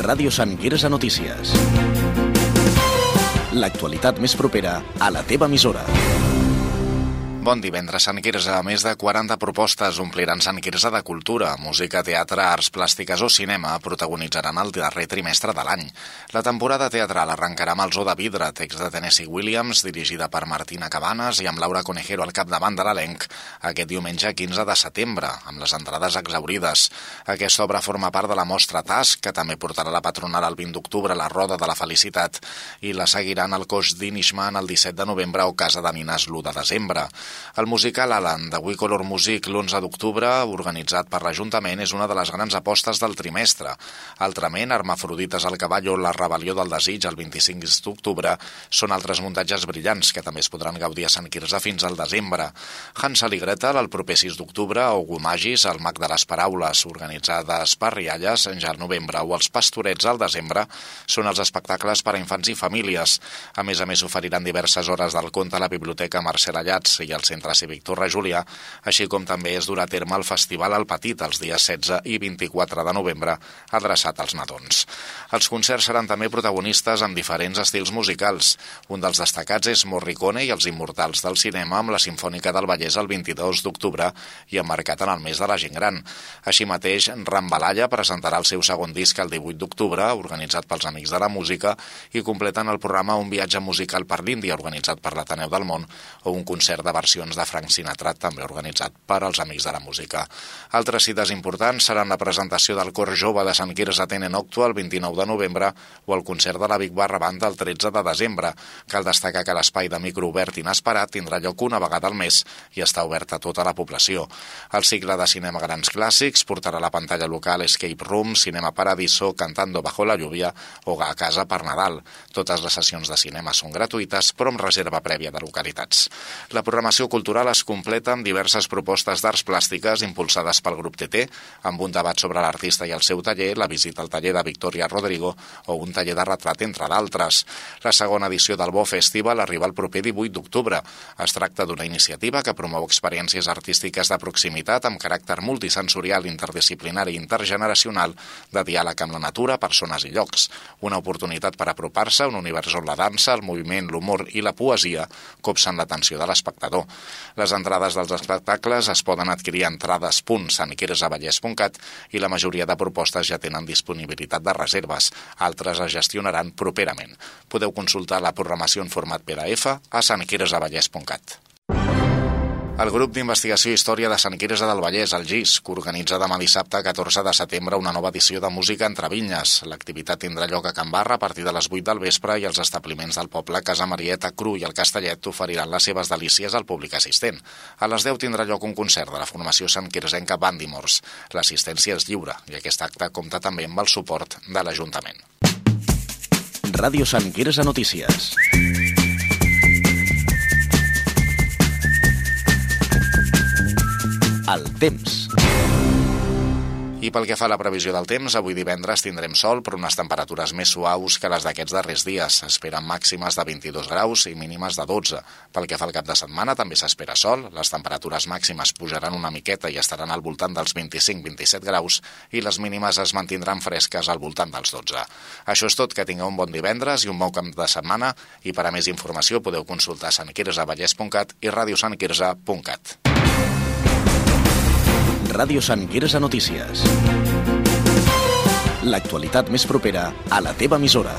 Ràdio Sant Quirze Notícies. L'actualitat més propera a la teva emissora. Bon divendres, Sant Quirze. Més de 40 propostes ompliran Sant Quirze de cultura, música, teatre, arts plàstiques o cinema protagonitzaran el darrer trimestre de l'any. La temporada teatral arrencarà amb el Zoo de Vidre, text de Tennessee Williams, dirigida per Martina Cabanes i amb Laura Conejero al capdavant de l'elenc, aquest diumenge 15 de setembre, amb les entrades exhaurides. Aquesta obra forma part de la mostra TASC, que també portarà la patronal el 20 d'octubre a la Roda de la Felicitat, i la seguiran al Cos d'Inishman el 17 de novembre o Casa de Nines l'1 de desembre. El musical Alan, de We Color Music, l'11 d'octubre, organitzat per l'Ajuntament, és una de les grans apostes del trimestre. Altrament, Hermafrodites al cavall o La rebel·lió del desig, el 25 d'octubre, són altres muntatges brillants que també es podran gaudir a Sant Quirze fins al desembre. Hansel i Gretel, el proper 6 d'octubre, o Gumagis, el mag de les paraules, organitzades per Rialles, ja al novembre, o Els pastorets al desembre, són els espectacles per a infants i famílies. A més, oferiran diverses hores del conte a la Biblioteca Mercè Lletjats i al Centre Cívic Torre Julià, així com també es durà a terme el Festival al Petit els dies 16 i 24 de novembre, adreçat als nadons. Els concerts seran també protagonistes amb diferents estils musicals. Un dels destacats és Morricone i els Immortals del cinema amb la Simfònica del Vallès el 22 d'octubre i emmarcat en el mes de la gent gran. Així mateix, Rambalaya presentarà el seu segon disc el 18 d'octubre, organitzat pels Amics de la Música, i completen el programa Un viatge musical per l'Índia, organitzat per l'Ateneu del Món, o un concert de versions de Frank Sinatra, també organitzat per als Amics de la Música. Altres cites importants seran la presentació del Cor Jove de Sant Quirze Tene Noctua el 29 de novembre o el concert de la Big Barra Banda el 13 de desembre. Cal destacar que l'espai de micro obert inesperat tindrà lloc una vegada al mes i està obert a tota la població. El cicle de cinema Grans Clàssics portarà a la pantalla local Escape Room, Cinema Paradiso, Cantando bajo la lluvia o A casa per Nadal. Totes les sessions de cinema són gratuïtes, però amb reserva prèvia de localitats. La programació cultural es completa amb diverses propostes d'arts plàstiques impulsades pel grup TT, amb un debat sobre l'artista i el seu taller, la visita al taller de Victoria Rodrigo o un taller de retrat, entre d'altres. La segona edició del Bo Festival arriba el proper 18 d'octubre. Es tracta d'una iniciativa que promou experiències artístiques de proximitat amb caràcter multisensorial, interdisciplinari i intergeneracional, de diàleg amb la natura, persones i llocs. Una oportunitat per apropar-se a un univers on la dansa, el moviment, l'humor i la poesia copsen l'atenció de l'espectador. Les entrades dels espectacles es poden adquirir a entrades.santquirzavallès.cat i la majoria de propostes ja tenen disponibilitat de reserves. Altres es gestionaran properament. Podeu consultar la programació en format PDF a santquirzavallès.cat. El grup d'investigació Història de Sant Quirze del Vallès, el GIS, que organitza demà dissabte 14 de setembre una nova edició de Música entre Vinyes. L'activitat tindrà lloc a Can Barra a partir de les 8 del vespre i els establiments del poble Casa Marieta, Cru i el Castellet oferiran les seves delícies al públic assistent. A les 10 tindrà lloc un concert de la formació santquirzenca Bandimors. L'assistència és lliure i aquest acte compta també amb el suport de l'Ajuntament. Ràdio Sant Quirze Notícies. El temps. I pel que fa a la previsió del temps, avui divendres tindrem sol, però unes temperatures més suaus que les d'aquests darrers dies. S'esperen màximes de 22 graus i mínimes de 12. Pel que fa al cap de setmana, també s'espera sol, les temperatures màximes pujaran una miqueta i estaran al voltant dels 25-27 graus i les mínimes es mantindran fresques al voltant dels 12. Això és tot, que tingueu un bon divendres i un bon cap de setmana, i per a més informació podeu consultar santquirzavallès.cat i radiosantquirze.cat. Ràdio Sant Quirze Notícies. L'actualitat més propera a la teva emissora.